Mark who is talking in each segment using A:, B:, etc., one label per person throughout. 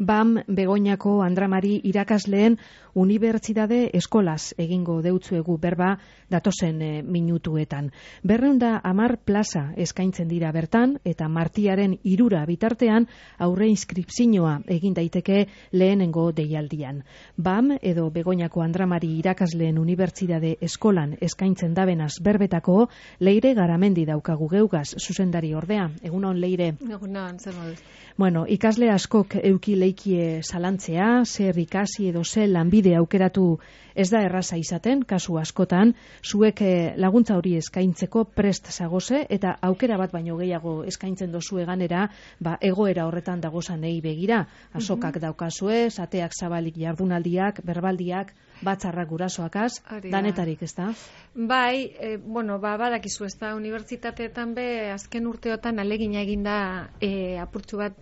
A: BAM Begoñako Andramari irakasleen unibertsitate eskolaz egingo deutzuegu berba datozen minutuetan. 210 plaza eskaintzen dira bertan eta martiaren 3 bitartean aurre inskripzioa egin daiteke lehenengo deialdian. BAM edo Begoñako Andramari irakasleen unibertsitate eskolan eskaintzen dabenaz berbetako Leire Garamendi daukagu geugaz zuzendari ordea. Egunon, Leire.
B: Egunon, zer moduz.
A: Bueno, ikasle askok euki leikie zalantzea, zer ikasi edo ze lanbide aukeratu ez da erraza izaten, kasu askotan, zuek laguntza hori eskaintzeko prest zagoze, eta aukera bat baino gehiago eskaintzen dozu eganera, egoera horretan dagozanei begira. Azokak daukazue, zateak zabalik jardunaldiak, berbaldiak, batzarrak gurasoakaz, danetarik, ez da?
B: Bai, badakizu, ez da, unibertsitateetan be, azken urteotan alegina eginda apurtxu bat,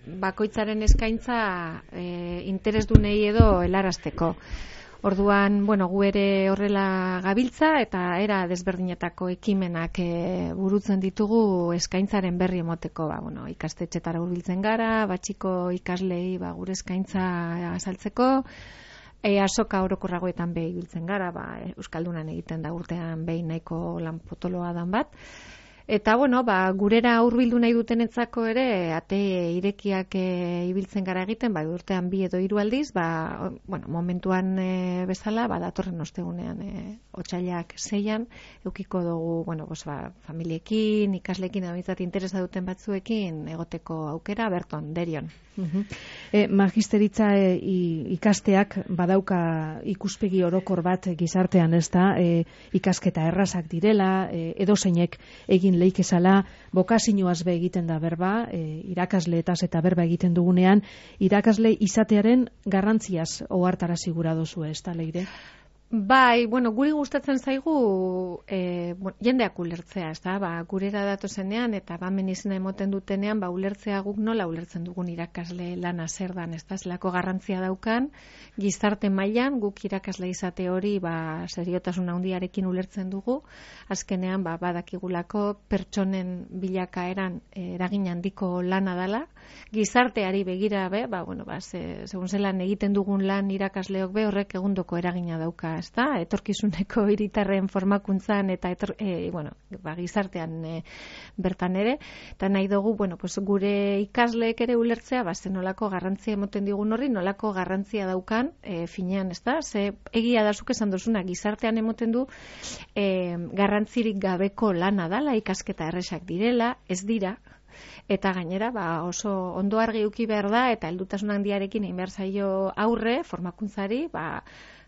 B: bakoitzaren eskaintza interesdunei edo helarazteko. Orduan, gu ere horrela gabiltza eta era desberdinetako ekimenak burutzen ditugu eskaintzaren berri emoteko. Ikastetxetara hurbiltzen gara, batxiko ikaslei gure eskaintza azaltzeko, azoka orokorragoetan behi biltzen gara, Euskaldunan egiten da urtean behin nahiko lan potoloa dan bat. Eta, gurera hurbildu nahi dutenetzako ere, ate irekiak ibiltzen gara egiten, urtean 2 edo 3 aldiz, momentuan bezala, datorren ostegunean, otsailak 6an, eukiko dugu, familiekin, ikaslekin, abintzat interesa duten batzuekin, egoteko aukera, berton, derion.
A: Magisteritza ikasteak badauka ikuspegi orokor bat gizartean, ez da, ikasketa errazak direla, edozeinek egin leikezala, bokazioaz be egiten da berba, irakasleetaz eta berba egiten dugunean, irakasle izatearen garrantziaz ohartarazi gura dozu, ez da, Leire?
B: Bai, guri gustatzen zaigu jendeak ulertzea, ez da, gurera datozenean eta bamen izena emoten dutenean, ulertzea guk nola ulertzen dugun irakasle lana zer dan, ez da, zelako garrantzia daukan, gizarte mailan guk irakasle izate hori seriotasun handiarekin ulertzen dugu, azkenean badakigulako pertsonen bilakaeran eragin handiko lana dala, gizarteari begira segun zelan egiten dugun lan irakasleok horrek egundoko eragina dauka, ezta, etorkizuneko hiritarren formakuntzan eta gizartean bertan ere, eta nahi dugu, gure ikasleek ere ulertzea, nolako garrantzia emoten digun horri, nolako garrantzia daukan, finean, ezta, ze egia da zuk esan dozuna, gizartean emoten du garrantzirik gabeko lana dala, ikasketa erresak direla, ez dira, eta gainera oso ondo argi uki behar da, eta heldutasun handiarekin egin behar zaio aurre, formakuntzari,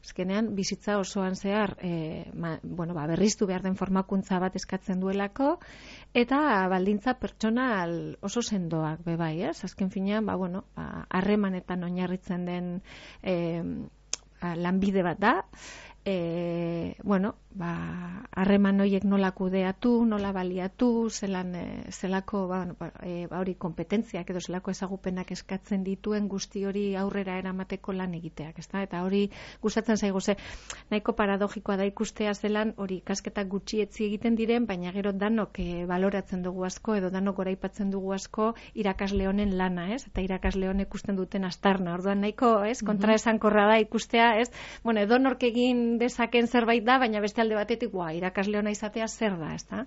B: azkenean bizitza osoan zehar berriztu behar den formakuntza bat eskatzen duelako, eta baldintza pertsonal oso sendoak bebai, ez? Azken finean, harremanetan oinarritzen den lanbide bat da, harreman horiek nola kudeatu, nola baliatu, zelako hori kompetentziak edo zelako ezagupenak eskatzen dituen guzti hori aurrera eramateko lan egiteak, ezta? Eta hori gustatzen zaigu ze nahiko paradogikoa da ikustea zelan hori ikasketak gutxietzi egiten diren, baina gero danok baloratzen dugu asko edo danok goraipatzen dugu asko irakasle honen lana, ez? Eta irakasle honek ikusten duten aztarna. Orduan nahiko, ez? Kontraesankorra da ikustea, ez? Edonork egin dezaken zerbait da, baina beste alde batetik, irakasle ona izatea zer da, ez da?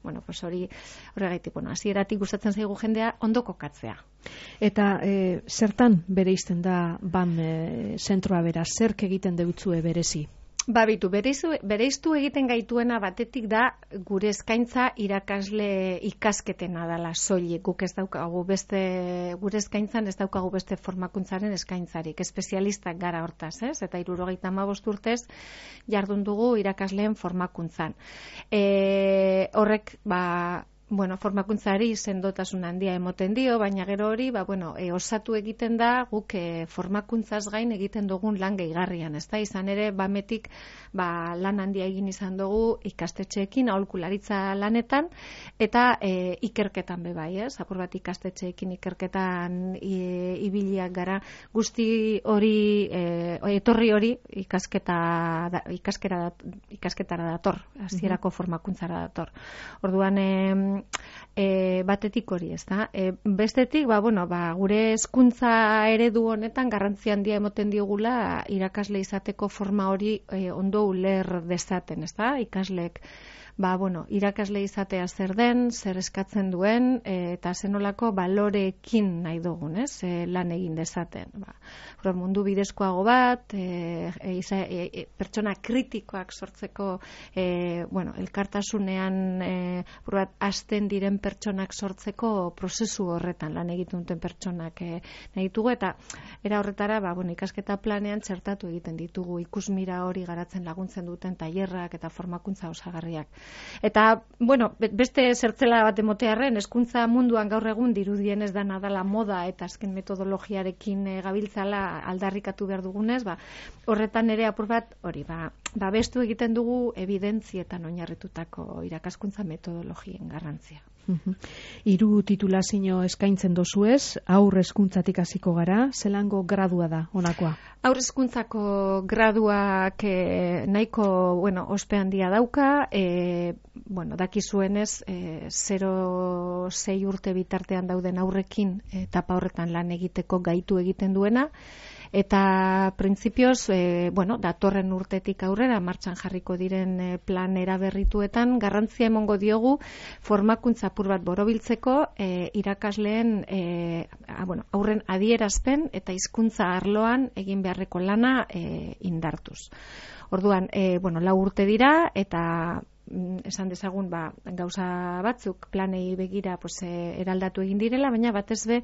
B: Hori horregaitik, hasieratik gustatzen zaigu jendea ondo kokatzea.
A: Eta zertan bereizten da BAM zentroa bera, zerk egiten deutzue berezi?
B: Bereiztu egiten gaituena batetik da gure eskaintza irakasle ikasketena dela soilik. Guk ez daukagu gure eskaintzan ez daukagu beste formakuntzaren eskaintzarik. Espezialistak gara hortaz, ez? Eta 75 urtez jardun dugu irakasleen formakuntzan. Horrek, formakuntzari sendotasun handia emoten dio, baina gero hori, osatu egiten da guk formakuntzaz gain egiten dugun lan gehigarrian, ez da? Izan ere, bametik lan handia egin izan dugu ikastetxeekin, aholkularitza lanetan, eta ikerketan bebai, ez? Apur bat ikastetxeekin ikerketan ibiliak gara, guzti hori, etorri hori ikasketara dator, hasierako formakuntzara dator. Orduan, batetik hori, ez da? Bestetik, gure hezkuntza eredu honetan garrantzia handia emoten diogula irakasle izateko forma hori ondo uler dezaten, ez da? Ikasleek irakasle izatea zer den, zer eskatzen duen, eta zenolako baloreekin nahi dugun, ez? Lan egin dezaten. Mundu bidezkoago bat, pertsona kritikoak sortzeko, elkartasunean hasten diren pertsonak sortzeko prozesu horretan lan egiten duten pertsonak nahi ditugu, eta era horretara, ikasketa planean txertatu egiten ditugu ikusmira hori garatzen laguntzen duten tailerrak eta formakuntza osagarriak. Eta, beste zertzela bat emotearren, hezkuntza munduan gaur egun dirudien ez dana dela moda eta azken metodologiarekin gabiltzala aldarrikatu behar dugunez, horretan ere apur bat, hori, bestu egiten dugu evidentzietan oinarritutako irakaskuntza metodologien garrantzia.
A: 3 titulazio eskaintzen dozuez, haur hezkuntzatik hasiko gara, zelango gradua da honakoa?
B: Haur hezkuntzako graduak nahiko, ospe handia dauka, dakizuenez 0-6 urte bitartean dauden aurrekin etapa horretan lan egiteko gaitu egiten duena, eta printzipioz, datorren urtetik aurrera martxan jarriko diren plan eraberrituetan garrantzia emongo diogu formakuntza apur bat borobiltzeko irakasleen aurren adierazpen eta hizkuntza arloan egin beharreko lana indartuz. Orduan, 4 urte dira eta esan dezagun gauza batzuk planei begira eraldatu egin direla, baina batez be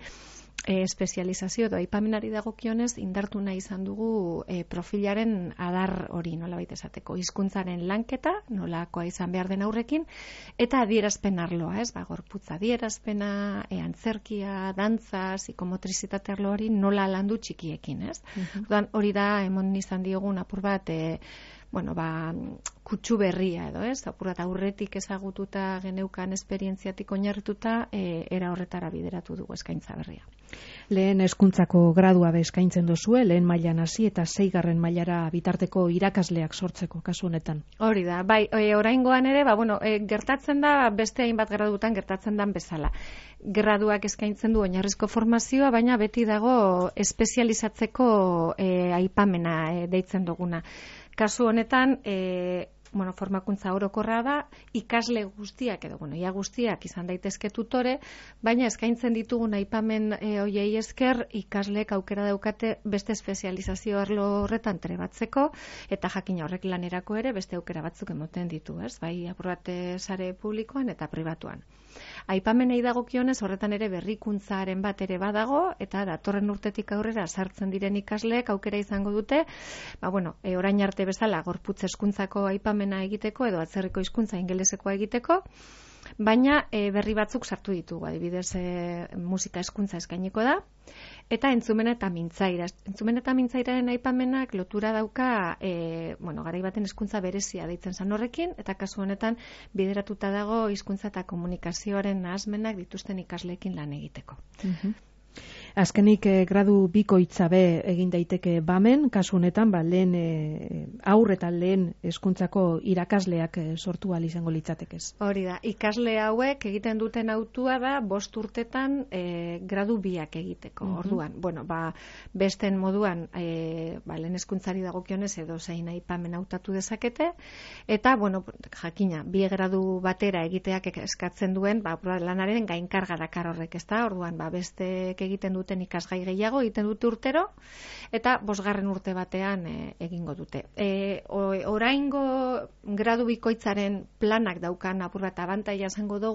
B: espezializazio edo aipamenari dagokionez indartu nahi izan dugu profilaren adar hori nolabait esateko, hizkuntzaren lanketa nolakoa izan behar den aurrekin eta adierazpen arloa, gorputza adierazpena, antzerkia, dantza, psikomotrizitate arlo hori nola landu txikiekin, Orduan, hori da emon izan diogun apur bat kutsu berria edo, apur bat aurretik ezagututa geneukan esperientziatik oinarrituta era horretara bideratu dugu eskaintza berria.
A: Lehen hezkuntzako gradua eskaintzen dozue, lehen mailan hasi eta 6. mailara bitarteko irakasleak sortzeko kasu honetan.
B: Hori da, oraingoan ere, gertatzen da beste hainbat gradutan gertatzen dan bezala. Graduak eskaintzen du oinarrizko formazioa, baina beti dago espezializatzeko aipamena deitzen duguna. Kasu honetan, formakuntza orokorra da, ikasle guztiak edo, ia guztiak izan daitezke tutore, baina eskaintzen ditugun aipamen hoiei esker ikasleek aukera daukate beste espezializazio arlo horretan trebatzeko, eta jakina horrek lanerako ere beste aukera batzuk emoten ditu, bai apur bat sare publikoan eta pribatuan. Aipamenei dagokionez horretan ere berrikuntzaren bat ere badago, eta datorren urtetik aurrera sartzen diren ikasleek aukera izango dute, orain arte bezala gorputz hezkuntzako aipamena egiteko edo atzerriko hizkuntza ingelesekoa egiteko, baina berri batzuk sartu ditugu, adibidez musika hezkuntza eskainiko da, eta entzumen eta mintzaira. Entzumen eta mintzairaren aipamenak lotura dauka, garai baten hezkuntza berezia deitzen zan horrekin, eta kasu honetan bideratuta dago hizkuntza eta komunikazioaren nahasmenak dituzten ikasleekin lan egiteko.
A: Azkenik gradu bikoitza egin daiteke bamen, kasu honetan lehen aur eta lehen hezkuntzako irakasleak sortu ahal izango litzatekez.
B: Hori da, ikasle hauek egiten duten hautua da 5 urtetan gradu 2 egiteko. Orduan, besten moduan lehen hezkuntzari dagokionez edo zein aipamen hautatu dezakete, eta jakina, 2 gradu batera egiteak eskatzen duen lanaren gainkarga dakar horrek, ezta? Orduan, besteek egiten duten ikasgai gehiago egiten dute urtero, eta 5. urte batean egingo dute. Oraingo gradu bikoitzaren planak daukan apur bat abantaila izango da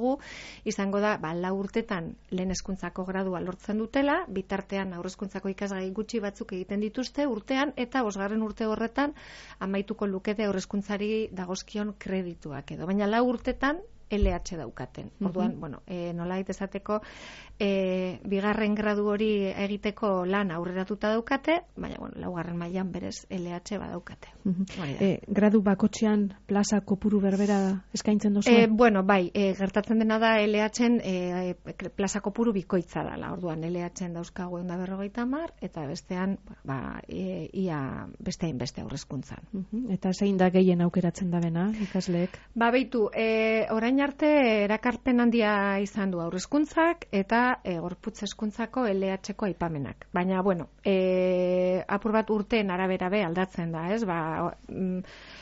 B: 4 urtetan lehen hezkuntzako gradua lortzen dutela, bitartean haur hezkuntzako ikasgai gutxi batzuk egiten dituzte urtean, eta 5. urte horretan amaituko lukete haur hezkuntzari dagozkion kredituak edo. Baina 4 urtetan LH daukaten. Orduan, nolabait esateko, bigarren gradu hori egiteko lan aurreratuta daukate, baina, laugarren mailan berez LH badaukate.
A: Gradu bakotxean plaza kopuru berbera eskaintzen dozu?
B: Bai, gertatzen dena da LH-en plaza kopuru bikoitza dela. Orduan, LH-en dauzkagu 150 eta bestean, ia bestein beste aurrezkuntzan.
A: Eta zein da gehien aukeratzen da bena, ikasleek?
B: Beitu, orain arte erakarpen handia izan du aurrezkuntzak eta gorputz hezkuntzako LH-ko aipamenak. Baina, apur bat urteen arabera aldatzen da, ez?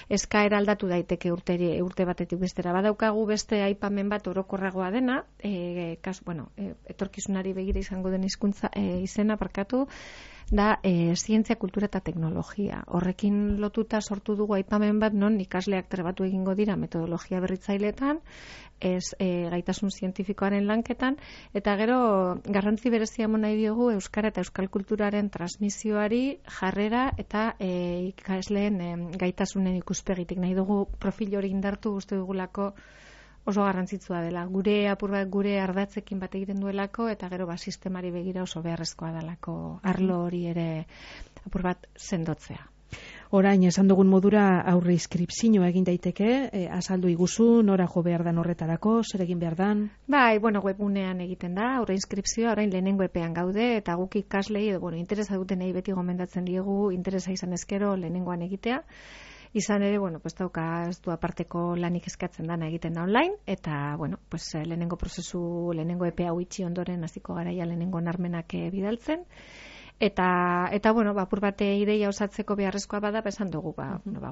B: Eskaera aldatu daiteke urte batetik bestera. Badaukagu beste aipamen bat orokorragoa dena, etorkizunari begira izango den hizkuntza izena da zientzia, kultura eta teknologia. Horrekin lotuta sortu dugu aipamen bat non ikasleak trebatu egingo dira metodologia berritzaileetan, gaitasun zientifikoaren lanketan, eta gero garrantzi berezia emon nahi diogu euskara eta euskal kulturaren transmisioari jarrera eta ikasleen gaitasunen ikuspegitik. Nahi dugu profil hori indartu uste dugulako oso garrantzitsua dela. Gure ardatzekin bat egiten duelako, eta gero sistemari begira oso beharrezkoa delako arlo hori ere apur bat sendotzea.
A: Orain, esan dugun modura aurre inskripzioa egin daiteke, azaldu iguzu, nora jo behar dan horretarako, zer egin behar dan?
B: Webgunean egiten da, aurre inskripzioa, orain lehenengo epean gaude, eta guk ikaslei, interesa dutenei beti gomendatzen diegu, interesa izan ezkero lehenengoan egitea. Izan ere, ez du aparteko lanik eskatzen dana egiten da online, eta, lehenengo epea itxi ondoren hasiko garaia lehenengo narmenak bidaltzen. Eta apur bate ideia osatzeko beharrezkoa bada, esan dugu,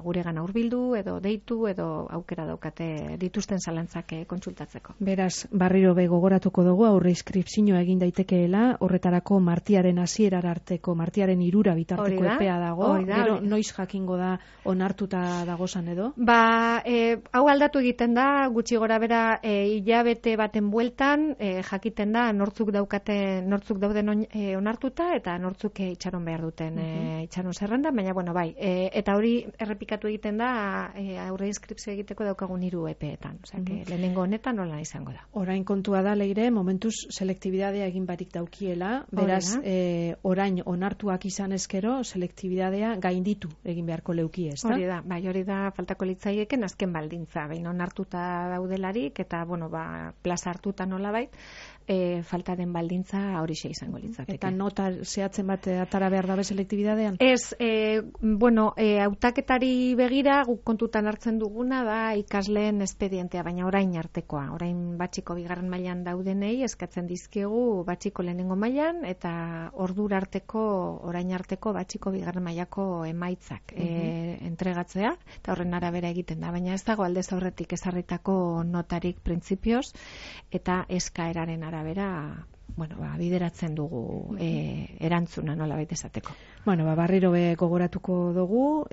B: guregana hurbildu, edo deitu, edo aukera daukate dituzten zalantzak kontsultatzeko.
A: Beraz, berriro gogoratuko dugu, aurre inskripzioa egin daitekeela, horretarako martiaren hasierar arteko, martiaren 3 bitarteko epea dago, gero noiz jakingo da onartuta dagozan edo?
B: Hau aldatu egiten da, gutxi gora bera, hilabete baten bueltan, jakiten da, nortzuk dauden onartuta, eta nortzuk itxaron behar duten itxaron zerrenda, baina eta hori errepikatu egiten da aurre inskripzio egiteko daukagun 3 epeetan, lehenengo honetan nola izango da.
A: Orain kontua da, Leire, momentuz selektibidadea egin barik daukiela, beraz, orain onartuak izan ezkero, selektibidadea gainditu egin beharko leuki, ez da?
B: Hori da faltako litzaieken azken baldintza, behin onartuta daudelarik, eta, plaza hartuta nolabait, falta den baldintza horixe izango litzateke.
A: Eta nota zehatzen bat atara behar dabe selektibidadean?
B: Ez, hautaketari begira guk kontutan hartzen duguna da ikasleen espedientea, baina orain artekoa. Orain batxiko bigarren mailan daudenei eskatzen dizkiegu batxiko lehenengo mailan eta orain arteko batxiko bigarren mailako emaitzak entregatzea, eta horren arabera egiten da, baina ez dago aldez aurretik ezarritako notarik printzipioz eta eskaeraren arabera bideratzen dugu erantzuna nola baita esateko.
A: Barriro gogoratuko dugu,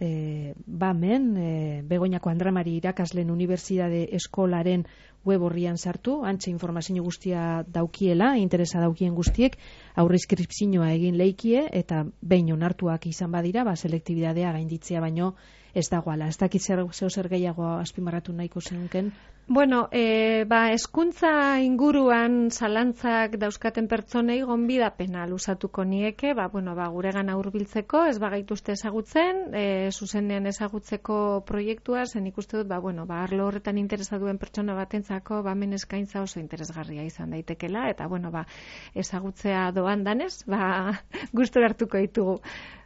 A: Begoñako Andra Mari irakasleen unibertsitate eskolaren web horrian sartu, antxe informazio guztia daukiela, interesa daukien guztiek, aurre inskripzioa egin leikie, eta behin onartuak izan badira, selektibidadea gainditzea baino ez dagoala. Ez dakit zer gehiago azpimarratu nahiko zenunken?
B: Hezkuntza inguruan zalantzak dauzkaten pertsonei gonbidapena luzatuko nieke, guregana hurbiltzeko, ez bagaituzte ezagutzen, zuzenean ezagutzeko proiektua, zen ikuste dut, arlo horretan interesa duen pertsona batentzako, hemen eskaintza oso interesgarria izan daitekela, eta, ezagutzea doan danez, gustura hartuko ditugu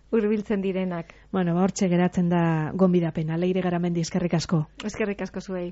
B: hurbiltzen direnak.
A: Hortxe geratzen da gonbidapena. Leire Garamendi, eskerrik asko.
B: Eskerrik asko zuei.